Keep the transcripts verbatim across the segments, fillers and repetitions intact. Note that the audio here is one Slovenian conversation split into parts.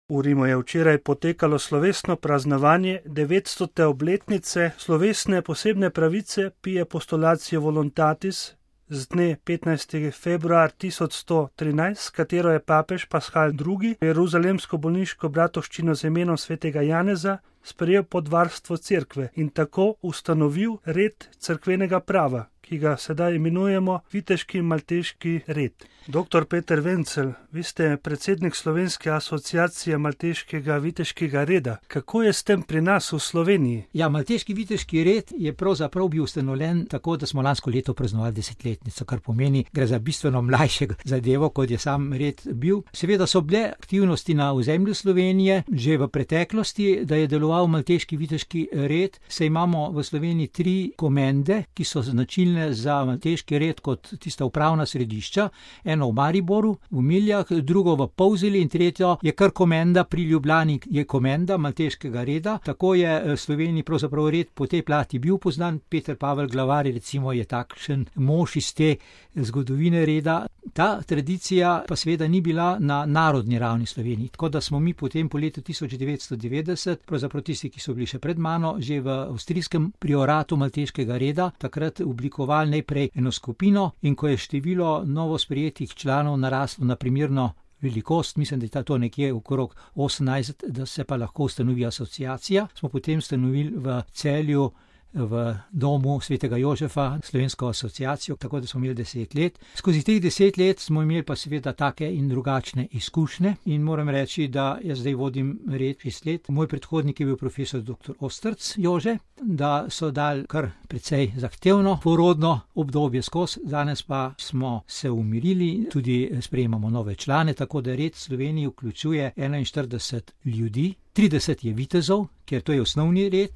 V Rimu je včeraj potekalo slovesno praznovanje devetstote obletnice slovesne posebne pravice Pie Postulatio Voluntatis z dne petnajstega februarja tisoč sto trinajst, s katero je papež Paschal drugi. Jeruzalemsko bolniško bratovščino z imenom svetega Janeza sprejel pod varstvo cerkve in tako ustanovil red cerkvenega prava, ki ga sedaj imenujemo Viteški malteški red. Doktor Peter Wenzel, vi ste predsednik Slovenske asociacije malteškega viteškega reda. Kako je s tem pri nas v Sloveniji? Ja, malteški viteški red je pravzaprav bil ustanovljen tako, da smo lansko leto praznovali desetletnico, kar pomeni, gre za bistveno mlajšega zadevo, kot je sam red bil. Seveda so bile aktivnosti na ozemlju Slovenije že v preteklosti, da je deloval malteški viteški red. Se imamo v Sloveniji tri komende, ki so značilne za malteški red kot tista upravna središča. Eno v Mariboru, v Miljah, drugo v Polzeli in tretjo je kar komenda pri Ljubljani, je komenda malteškega reda. Tako je v Sloveniji pravzaprav red po tej plati bil poznan. Peter Pavel Glavar recimo je takšen mož iz te zgodovine reda. Ta tradicija pa seveda ni bila na narodni ravni Sloveniji, tako da smo mi potem po letu tisoč devetsto devetdeset, pravzaprav tisti, ki so bili še pred mano, že v avstrijskem prioratu malteškega reda, takrat oblikovali najprej eno skupino in ko je število novo sprejetih članov naraslo na primerno velikost, mislim, da je to nekje okrog osemnajst, da se pa lahko ustanovi asociacija, smo potem ustanovili v Celju v domu svetega Jožefa slovensko asociacijo, tako da smo imeli deset let. Skozi teh deset let smo imeli pa seveda take in drugačne izkušnje in moram reči, da jaz zdaj vodim red šest let. Moj predhodnik je bil profesor doktor Ostrc Jože, da so dali kar precej zahtevno porodno obdobje skozi, danes pa smo se umirili, tudi sprejemamo nove člane, tako da red Sloveniji vključuje enainštirideset ljudi. trideset je vitezov, ker to je osnovni red,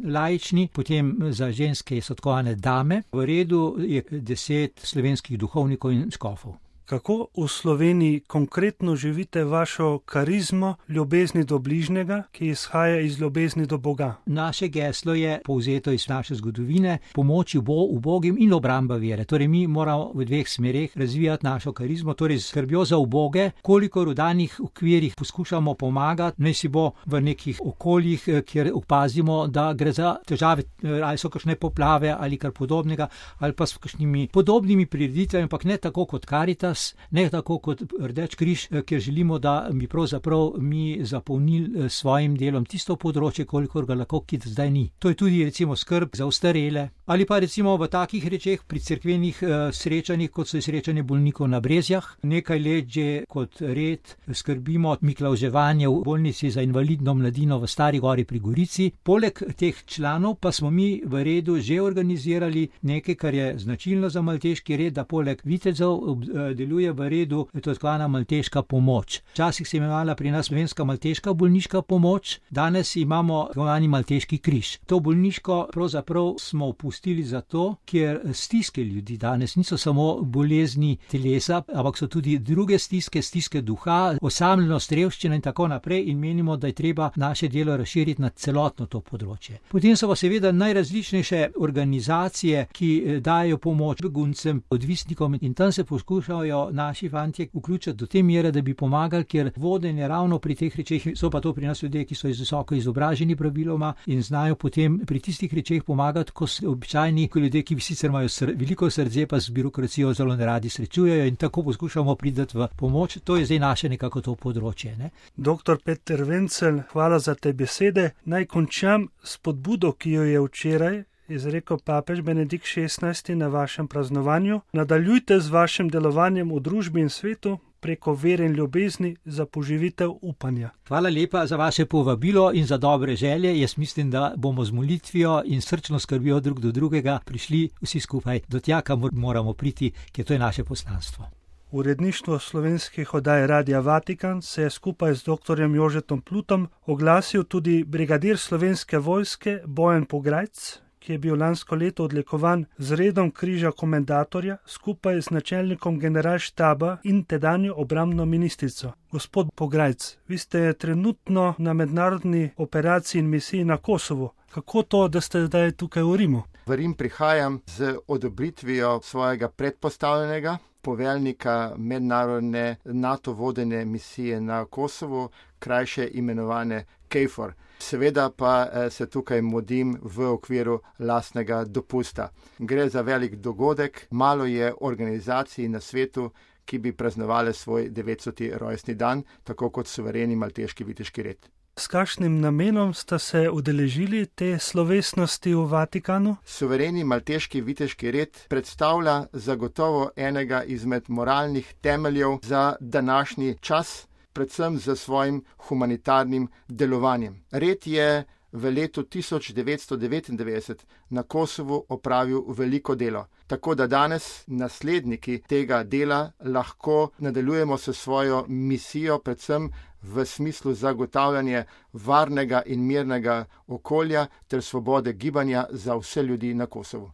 laični, potem za ženske so tkovane dame, v redu je deset slovenskih duhovnikov in škofov. Kako v Sloveniji konkretno živite vašo karizmo ljubezni do bližnjega, ki izhaja iz ljubezni do Boga? Naše geslo je povzeto iz naše zgodovine, pomoči ubogim in obramba vere. Torej mi moramo v dveh smereh razvijati našo karizmo, torej skrbjo za uboge, kolikor v danih okvirih poskušamo pomagati, naj si bo v nekih okoljih, kjer opazimo, da gre za težave, ali so kakšne poplave ali kar podobnega, ali pa s kakšnimi podobnimi prireditvami, ampak ne tako kot Karitas, ne tako kot Rdeč križ, ker želimo, da bi pravzaprav mi zapolnili svojim delom tisto področje, kolikor ga lahko, ki zdaj ni. To je tudi recimo skrb za ostarele, ali pa recimo v takih rečeh pri cerkvenih eh, srečanjih, kot so srečanje bolnikov na Brezjah. Nekaj let že kot red skrbimo miklavževanje v bolnici za invalidno mladino v Stari Gori pri Gorici. Poleg teh članov pa smo mi v redu že organizirali nekaj, kar je značilno za malteški red, da poleg vitezov deluje v redu, je to tako malteška pomoč. Včasih se je imenovala pri nas slovenska malteška bolniška pomoč, danes imamo tako malteški križ. To bolniško pravzaprav smo opustili zato, ker stiske ljudi danes niso samo bolezni telesa, ampak so tudi druge stiske, stiske duha, osamljenost, revščina in tako naprej in menimo, da je treba naše delo razširiti na celotno to področje. Potem so pa seveda najrazličnejše organizacije, ki dajo pomoč beguncem, odvisnikom in tam se poskušajo naši fantje vključiti do te mere, da bi pomagali, ker vodenje ravno pri teh rečeh, so pa to pri nas ljudje, ki so visoko izobraženi praviloma in znajo potem pri tistih rečeh pomagati, ko so običajni ljudje, ki sicer imajo sr- veliko srce, pa z birokracijo zelo neradi srečujejo in tako poskušamo priti v pomoč. To je zdaj naše nekako to področje. Ne? Doktor Peter Wenzel, hvala za te besede. Naj končam s podbudo, ki jo je včeraj izrekel papež Benedikt šestnajsti na vašem praznovanju. Nadaljujte z vašim delovanjem v družbi in svetu preko vere in ljubezni za poživitev upanja. Hvala lepa za vaše povabilo in za dobre želje. Jaz mislim, da bomo z molitvijo in srčno skrbjo drug do drugega prišli vsi skupaj do tja, kamor moramo priti, ker to je naše poslanstvo. Uredništvo slovenskih oddaj Radia Vatikan se je skupaj z doktorjem Jožetom Plutom oglasil tudi brigadir slovenske vojske Bojan Pograjc, ki je bil lansko leto odlikovan z redom križa komendatorja skupaj z načelnikom generalštaba in tedanjo obrambno ministrico. Gospod Pograjc, vi ste trenutno na mednarodni operaciji in misiji na Kosovu. Kako to, da ste zdaj tukaj v Rimu? V Rim prihajam z odobritvijo svojega predpostavljenega poveljnika mednarodne NATO vodene misije na Kosovo, krajše imenovane KFOR. Seveda pa se tukaj mudim v okviru lastnega dopusta. Gre za velik dogodek, malo je organizacij na svetu, ki bi praznovali svoj devetstoti rojstni dan, tako kot suvereni malteški viteški red. S kakšnim namenom sta se udeležili te slovesnosti v Vatikanu? Suvereni malteški viteški red predstavlja zagotovo enega izmed moralnih temeljev za današnji čas, predvsem za svojim humanitarnim delovanjem. Red je v letu tisoč devetsto devetindevetdeset na Kosovu opravil veliko delo, tako da danes nasledniki tega dela lahko nadaljujemo s svojo misijo, predvsem v smislu zagotavljanja varnega in mirnega okolja ter svobode gibanja za vse ljudi na Kosovu.